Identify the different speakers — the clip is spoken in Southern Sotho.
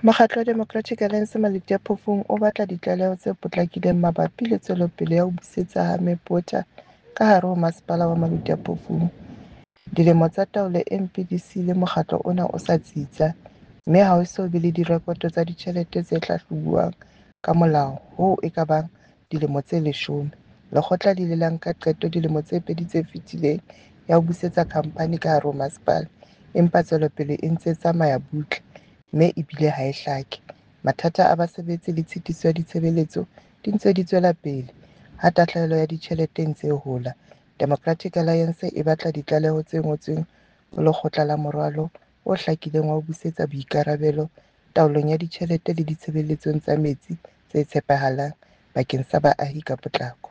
Speaker 1: Mokgatlo wa Democratic Alliance Maluti-a-Phofung o batla ditlaleho tse potlakileng mabapi le tswelopele ya ho busetsa ha Meep Water ka hare ho Masepala wa Maluti-a-Phofung. Dilemo tsa taolo e mpe di siile mokgatlo ona o sa tsitsa, mme ha ho eso be le direkoto tsa ditjhelete tse hlahlobuwang ka molao hoo e ka bang dilemo tse 10. Lekgotla le ile la nka qeto dilemo tse pedi tse fetileng ya ho busetsa khamphani ka hare ho masepala, empa tswelopele e ntse e tsamaya butle mme ebile ha e hlake. Mathata a basebetsi le tshitiso ya ditshebeletso di ntse di tswela pele, ha tahlehelo ya ditjhelete e ntse e hola. Democratic Alliance e batla ditlaleho tse ngotsweng ho lekgotla la moralo o hlakileng wa ho busetsa boikarabelo taolong ya ditjhelete le ditshebeletsong tsa metsi tse tshepahalang bakeng sa baahi ka potlako.